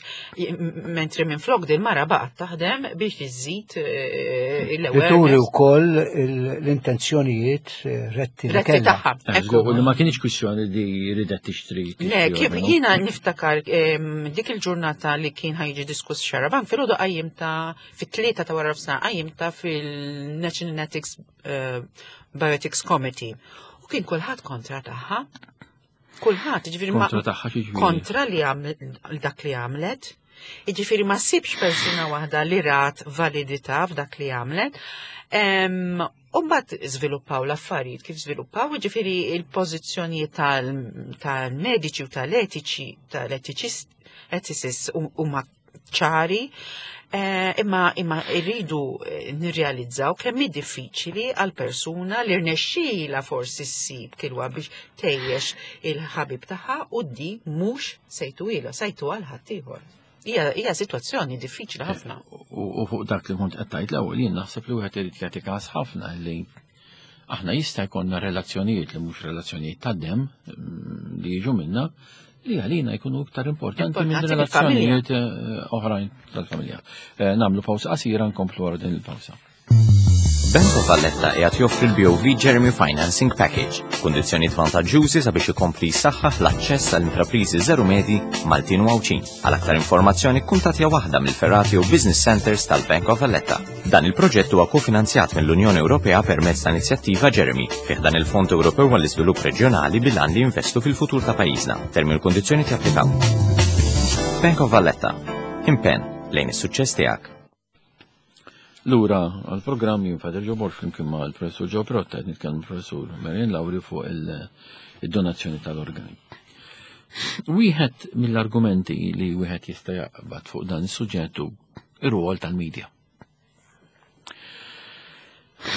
Mentri minn flok din mara baqgħet taħdem biex iżżid eh, l-ewwel. Turi wkoll l-intenzjonijiet eh, retti li kellha. Eh, u li ma kienx kwistjoni li ridet tixtri. Le, kif jiena niftakar dik il-ġurnata li kien ħajġi diskuss xaraban filgħodu qajjim ta' fit-tlieta ta' wara nofsinhar qajjimta fil-National Ethics eh, Bioethics Committee. U kien kulħadd kontra tagħha. Kulħadd, ġifieri ma kontra tagħha ġifieri. Kontra li dak li għamlet. Jiġifieri ma sibx persuna waħda li rat validità f'dak li għamlet. U mbagħad żviluppaw l-affarijiet kif żviluppaw, jiġifieri il-pożizzjonijiet tal-mediċi u tal-etiċi, tal-etiċist, ethicists huma ċari, eh, imma imma rridu eh, nirrealizzaw kemm hi diffiċili għal persuna li rnexxila forsi ssib kilwa biex tejjex il-ħabib tagħha u di mhux sejtu ilha, sejtu għal ħaddieħor. Hija sitwazzjoni diffiċli ħafna. U fuq dak li kont qed tgħid l-ewwel jien naħseb li wieħed irid jagħti każ ħafna li aħna jista' jkollna relazzjonijiet li mhux relazzjonijiet ta' dem mm, li jiġu minna. li għalina jkunu iktar importanti minn relazzjonijiet eh, oħrajn tal-familja. Eh, namlu pawsa qasira nkomplu wara din il-pawsa. Bank of Valletta qiegħed joffri l-BOV Jeremy Financing Package, kundizzjonijiet vantaġġjużi sabiex ikompli jsaħħaħ l-aċċess għall intrapriżi żeru medji Maltin u Għawdxin. Għal aktar informazzjoni kkuntattja waħda mill-ferrati u business centers tal-Bank of Valletta. Dan il-proġett huwa kofinanzjat mill-Unjoni Ewropea permezz ta' inizjattiva Jeremy fih dan il-Fond Ewropew għall-Iżvilupp Reġjonali bil-għan li jinvestu fil-futur ta' pajjiżna. Termini u kundizzjoni japplikaw. Bank of Valletta. Impenn lejn is-suċċess tiegħek. Lura għal-programm jien Father Joe Borg flimkien ma' l-Professur Joe Protta qed nitkellmu Professur Marian Lauri fuq il-donazzjoni tal-organi. Wieħed mill-argumenti li wieħed jista' jaqbad fuq dan is-suġġett hu ir-rwol tal-medja.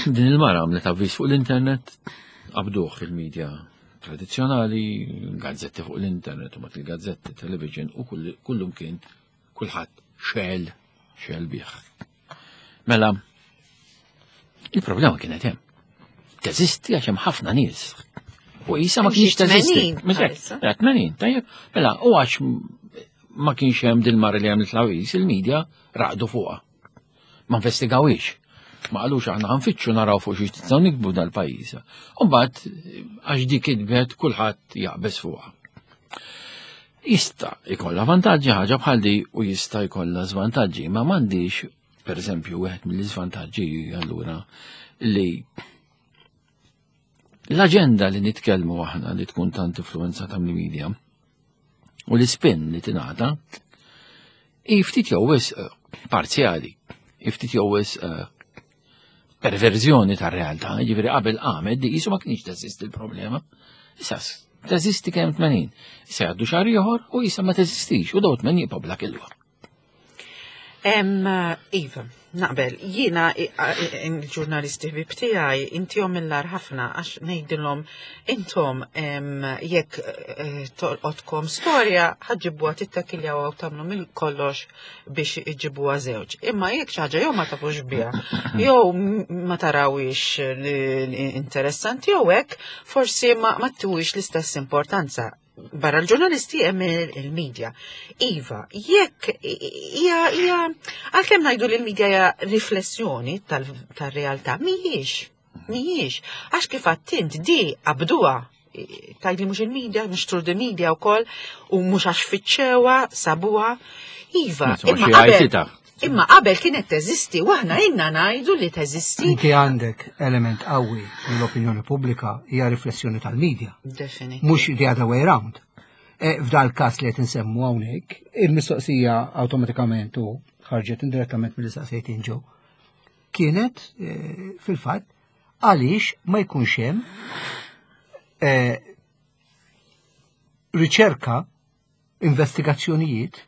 Din il-mara għamlet avviż fuq l-internet, qabduh fil-medja tradizzjonali, gazzetti fuq l-internet, u mat il-gazzetti, television u kullum kien kulħadd xel, xel bih. Mela, il-problema kienet hemm. Teżisti għax hemm ħafna nies. U jisa ma kienx teżisti. 80, tajjeb. Mela, u għax ma kienx hemm dil-mara li għamlet l-awis, il-medja raqdu fuqha. Ma investigawiex. Ma qalux aħna ħanfittxu naraw fuq xi nistgħu nikbu dal-pajjiż. U mbagħad għax dik kitbet kulħadd jaqbeż fuqha. Jista' jkollha vantaġġi ħaġa bħal di u jista' jkollha żvantaġġi, ma m'għandix, pereżempju, wieħed mill-iżvantaġġi allura li l-aġenda li nitkellmu aħna li tkun tant influenzata mill-media u l-ispin li tingħata hi ftit jew wisq eh, parzjali, hi ftit jew wisq eh, perverżjoni tar-realtà, jiġifieri qabel qamet di qisu ma kienx teżisti l-problema. Issa teżisti kemm 80. Issa jgħaddu xahar ieħor u issa ma teżistix u daw 80 jibqgħu bla kilwa. Iva, naqbel, jiena il-ġurnalisti ħbib tiegħi intihom mill-ar ħafna għax ngħidilhom intom jekk eh, tolqotkom storja ħaġġibuha tittakiljaw u tagħmlu mill kollox biex iġibuha żewġ. Imma jekk xi ħaġa jew ma tafux biha, jew ma tarawix interessanti jew hekk, forsi ma tuwix l-istess importanza. Barra l-ġurnalisti hemm il-medja. Iva, jekk hija hija għalkemm ngħidu li l-medja hija riflessjoni tal-realtà, mhijiex. Mhijiex. Għax kif għattint di qabduha tajli mhux il-media, mhux through the media wkoll, u mhux għax fittxewha, sabuha. Iva, imma qabel, imma qabel kienet teżisti, u aħna inna ngħidu li teżisti. Inti għandek element qawwi l-opinjoni pubblika hija riflessjoni tal-media. Mhux the other way round. E, F'dal każ li qed insemmu hawnhekk, il-mistoqsija awtomatikament u ħarġet indirettament mill-istaqsejtin ġew. Kienet e, fil-fatt għaliex ma jkunx hemm eh, riċerka, investigazzjonijiet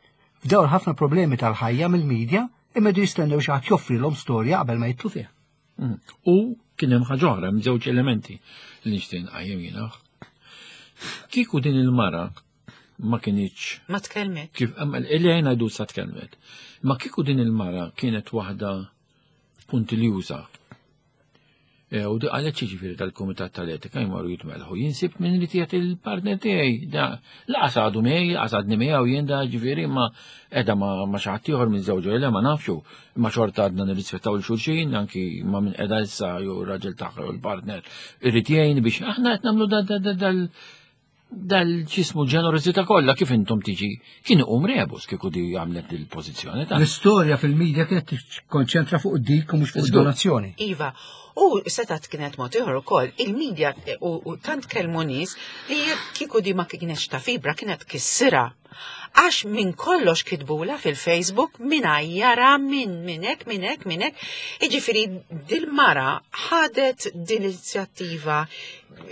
f'dawn ħafna problemi tal-ħajja mill-medja imma jdu jistennew xi ħadd joffrilhom storja qabel ma jitlu fiha. Mm. U kien hemm ħaġa oħra, hemm żewġ elementi li nixtieq nqajjem jiena. Kieku din il-mara ma kinitx. Ma tkellmet. Kif illi għajna jdu sa tkellmet. Ma kieku din il-mara kienet waħda puntiljuża E, u għalhekk jiġifieri tal-Kumitat tal-Etika jmorru jitmelħu. Jien sibt minn li tiegħek il-partner tiegħi. Da laqas għadu miegħi, laqas għadni miegħu jien da ġifieri ma qiegħda ma xi ħadd ieħor minn żewġu le ma nafxu. Imma xorta għadna nirrispettaw il xulxin anki ma minn qiegħda issa jew ir-raġel tagħha jew il-partner irid jgħin biex aħna qed nagħmlu dal dal-ġismu ġenerosità kollha kif intom tiġi kien iqum rebus kieku di għamlet il-pożizzjoni ta' L-istorja fil-medja kienet tikkonċentra fuq dik u mhux fuq id-donazzjoni. Iva, u setat kienet mod ieħor ukoll, il-medja u tant kellmu nies li kieku di ma kienx ta' fibra kienet kissira. Għax minn kollox kitbula fil-Facebook minn għajjara minn minnek, minnek, minnek. Iġifiri, dil-mara ħadet din l-inizjattiva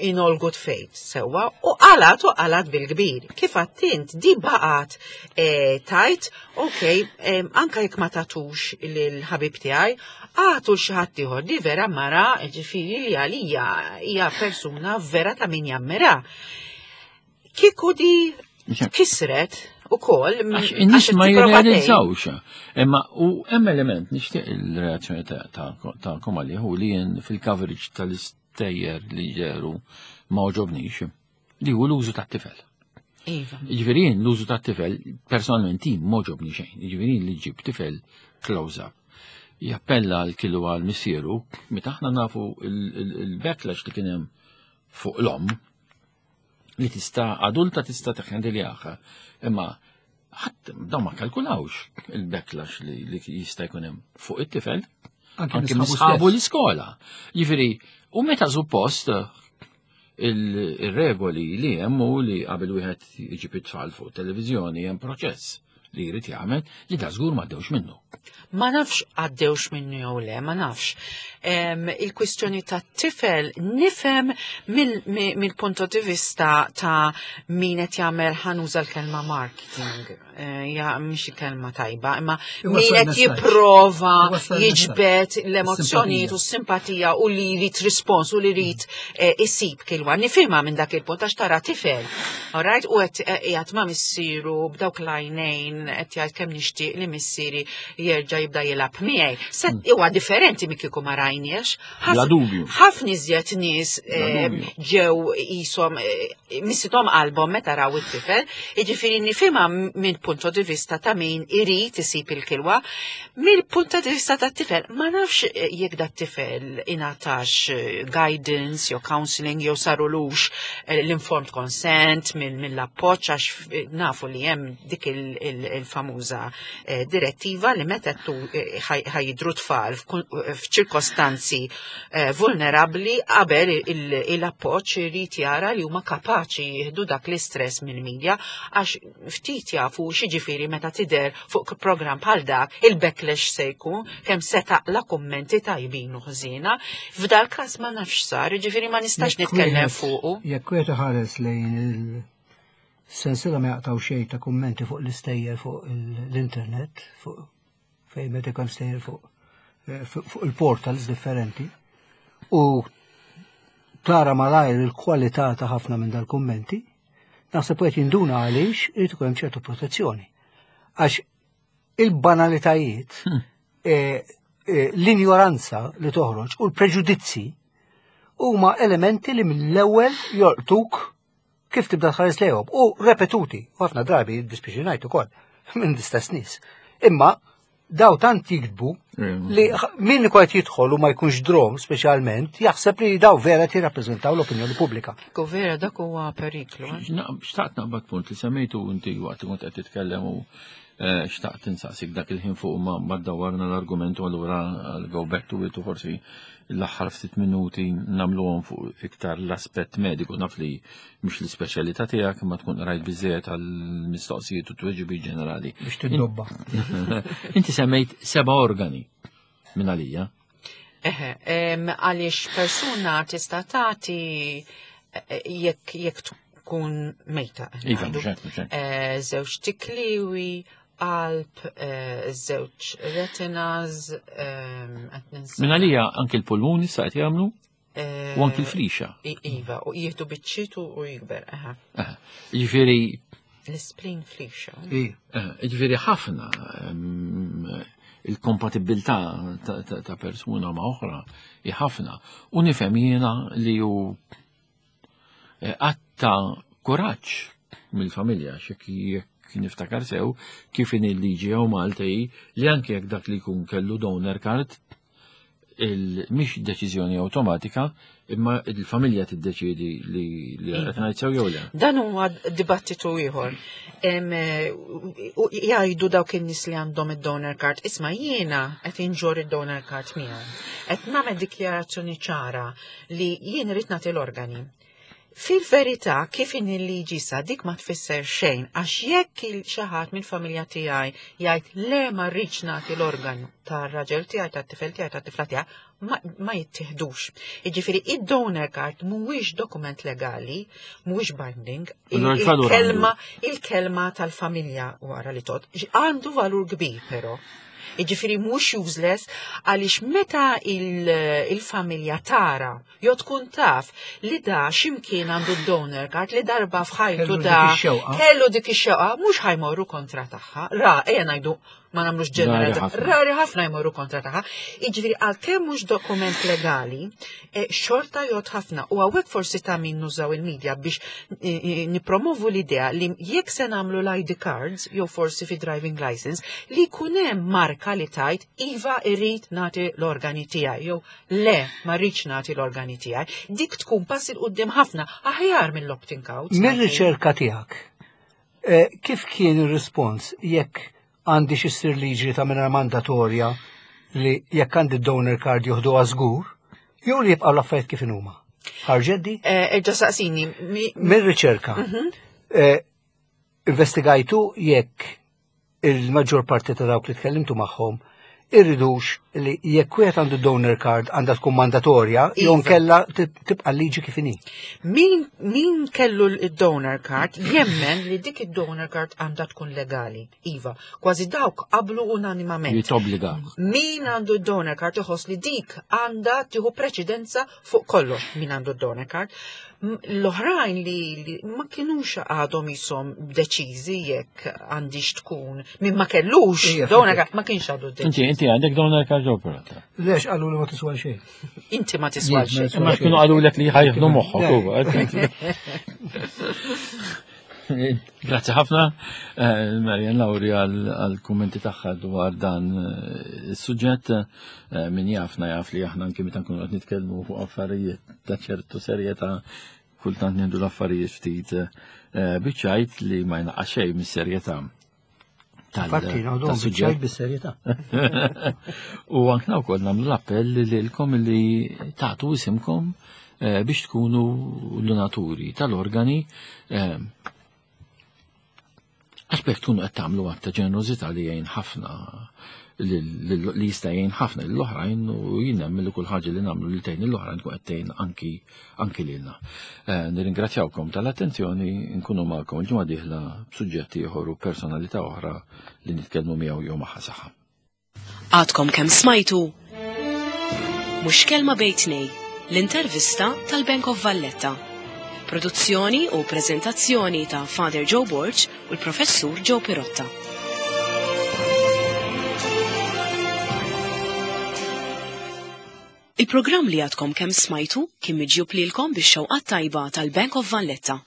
in all good faith, sewa, u qalat u qalat bil-kbir. Kif għattint, di baqat eh, tajt, ok, eh, anka jekk ma tatux lil-ħabib tiegħi, għatu xi ħadd ieħor di vera mara, ġifieri li għalija hija persuna vera ta' min jammira. Kieku di kisret u kol. Għax ma jirrealizzawx. Imma u hemm element nixtieq il-reazzjoni tagħkom għalih u li jien fil-coverage tal-istejjer li ġeru ma oġobnix li hu l-użu tat-tifel. Iva. Jiġifieri jien l-użu tat-tifel personalment jien m'għoġobni xejn. Jiġifieri li ġib tifel close up. Jappella għal kilu għal missieru, meta aħna nafu il-backlash li kien hemm fuq l-omm, li tista' adulta tista' teħendiljaha. Imma ħadd dawn ma kalkulawx il-backlash li jista' jkun hemm fuq it-tifel anke misħabu l-iskola. Jiġifieri, u meta suppost il-regoli li hemm u li qabel wieħed iġib it-tfal fuq televiżjoni hemm proċess li jrid jagħmel li da żgur ma għaddewx minnu. Ma nafx għaddewx minnu jew le, ma nafx. Il-kwistjoni ta' tifel nifhem mill-punto di vista ta' min qed jagħmel ħanuża l-kelma marketing. Eh, ja mhix kelma tajba, imma min qed jipprova jiġbed l-emozzjonijiet u s-simpatija u li jrid rispons u li jrid eh, isib kilwa. Nifhimha minn dak il-punt għax tara tifel. Alright, u qed eh, qiegħed ma' missieru b'dawk l-għajnejn qed jgħid kemm nixtieq li missieri jerġa' jibda jilgħab miegħi. Se hmm. huwa differenti minn kieku ma rajniex. Bla dubju. Ħafna iżjed nies ġew qishom missithom qalbhom meta raw it-tifel, jiġifieri nifhimha minn punto di vista ta' min irid isib il-kilwa. Mill-punto di vista tat-tifel, ma nafx eh, jekk dat tifel ingħatax eh, guidance jew counseling jew sarulux eh, l-informed consent mill-appoġġ għax nafu li hemm dik il-famuża direttiva li meta ħajidru tfal f'ċirkostanzi Eh, vulnerabbli qabel il-appoġġ irid jara li huma kapaċi jieħdu dak l-istress mill-medja għax ftit jafu x'jiġifieri meta tidher fuq programm bħal dak il-backlash se jkun kemm se taqla kummenti tajbin u ħżiena. F'dal każ ma nafx sar, jiġifieri ma nistax nitkellem fuqu. Jekk wieħed iħares lejn il-sensiela ma jaqtaw xejn ta' kummenti fuq l-istejjer fuq l-internet, fuq fejn meta kemm stejjer fuq eh, fuq il-portals differenti u tara malajr il-kwalità ta' ħafna minn dal-kummenti, naħseb qed jinduna għaliex irid ikun hemm ċertu protezzjoni. Għax il-banalitajiet, hmm. eh, eh, l-injoranza li toħroġ u l-preġudizzi huma elementi li mill-ewwel jolqtuk kif tibda tħares lejhom u repetuti, u ħafna drabi dispiċi ngħid ukoll minn l-istess nies. Imma daw tant jiktbu li min qed jidħol u ma jkunx drom speċjalment jaħseb li daw vera jirrappreżentaw l-opinjoni pubblika. Ku vera dak huwa periklu. Eh? Xtaqt naqbad punt li semmejtu inti waqt li kont qed titkellem u eh, xtaqt insaqsik dak il-ħin fuq ma dawwarna l-argument u allura go back to it u forsi l-aħħar ftit minuti nagħmluhom fuq iktar l-aspett mediku naf li mhux l-ispeċjalità tiegħek imma tkun qrajt biżejjed għall-mistoqsijiet u tweġibiet ġenerali. Biex tiddobba. Inti semmejt seba' organi minn għalija. Eħe, għaliex persuna tista' tagħti eh, jekk jekk tkun mejta. Iva, eh, żewġ tikliwi, qalb, eh, żewġ retinas, ehm, qed ninsa. Minn għalija anki l-pulmuni sa qed jagħmlu eh, u anki l-frixa. Iva, u jieħdu biċċiet u jikber, aha. Jiġifieri L-spleen frixa. Jiġifieri ħafna ehm, il-kompatibilità ta' persuna ma' oħra hi ħafna. U nifhem jiena li hu eh, għatta kuraġġ mill-familja xek jekk niftakar sew kif in il-liġi hawn Malta hi li anke jekk dak li jkun kellu donor card mhix deċiżjoni awtomatika imma il-familja tiddeċiedi li li qed ngħid sew jew le. Dan huwa dibattitu ieħor. Eh, jgħidu dawk in-nies li għandhom id-donor card, isma' jiena qed inġor id-donor card miegħi. Qed nagħmel dikjarazzjoni ċara li jien irid nagħti l-organi. Fil-verità, kif in il-liġi sa dik ma tfisser xejn, għax jekk il xi ħadd mill-familja tiegħi jgħid le ma rridx nagħti l-organu tar-raġel tiegħi, tat-tifel tiegħi, tat-tifla tiegħi, ma, ma jittieħdux. Jiġifieri id-donor card mhuwiex dokument legali, mhuwiex binding, il-kelma il-kelma tal-familja wara li tot għandu valur kbir però. Jiġifieri mhux useless għaliex meta il-familja tara jew tkun taf li da x'imkien għandu d-donor card li darba f'ħajtu da kellu dik ix-xewqa mhux ħajmorru kontra tagħha. Ra, ejja ngħidu Ma nagħmlux ġeneralizzazzjoni. Rari ħafna jmorru kontra tagħha. Jiġifieri għalkemm mhux dokument legali, eh, xorta jgħod ħafna u hawnhekk forsi ta' min nużaw il-medja biex eh, eh, nipromovu l-idea li jekk se nagħmlu l-ID cards jew forsi fi driving license li jkun hemm marka li tajt iva irrid nagħti l-organi tiegħi jew le ma rridx nagħti l-organi tiegħi. Dik tkun pass il quddiem ħafna aħjar mill-opting out. Mir-riċerka tiegħek, kif kien ir-rispons jekk għandi xi ssir liġi ta' mingħajr mandatorja li jekk għandi donor card joħduha żgur, jew li jibqgħu l-affarijiet kif inhuma. Ħarġet di? Eh, Erġa' saqsini. Mir-riċerka. Mhm. Eh, investigajtu jekk il-maġġor parti ta' dawk li tkellimtu magħhom irridux li jekk wieħed għandu donor card għandha tkun mandatorja jew iva. nkella tibqa' liġi kif inhi. Min, min kellu l-donor card jemmen li dik id-donor card għandha tkun legali. Iva, kważi dawk qablu unanimament. Li tobbliga. Min għandu d-donor card iħoss li dik għandha tieħu preċedenza fuq kollox min għandu d-donor card. L-oħrajn li, ma kinux għadhom jisom deċiżi jekk għandix tkun min ma kellux donor card ma kienx għadu deċiż. Inti inti għandek donor card jew pirata? Lex qalu li ma tiswa xejn. Inti ma tiswa xejn. Ma kienu qalu lek li ħajħdu moħħok huwa. Grazzi ħafna, eh, Marian Lauri għal-kummenti tagħha dwar dan eh, is-suġġett. Eh, min jafna jaf li aħna anke meta nkunu qed nitkellmu fuq affarijiet ta' ċertu serjetà kultant nieħdu l-affarijiet ftit biċċajt li ma jnaqqas xejn mis-serjetà. Infatti, naħdu biċċajt bis-serjetà. U ankna wkoll nagħmlu l-appell lilkom li tagħtu isimkom eh, biex tkunu donaturi tal-organi eh, għax bekk tkunu qed tagħmlu għadd ta' ġenerożità li jgħin ħafna li jista' jgħin ħafna lill-oħrajn u jien nemmen li kull ħaġa li nagħmlu li tgħin lill-oħrajn tkun qed tgħin anki anki lilna. Eh, nirringrazzjawkom tal-attenzjoni, nkunu magħkom il-ġimgħa dieħla b'suġġett ieħor u personalità oħra li nitkellmu miegħu jew magħha saħħa. Għadkom kemm smajtu Mhux kelma bejn tnej, l-intervista tal-Bank of Valletta. Produzzjoni u preżentazzjoni ta' Father Joe Borg u l-Professur Joe Pirotta. Il-programm li għadkom kemm smajtu kien miġjub lilkom bix-xewqat tajba tal-Bank of Valletta.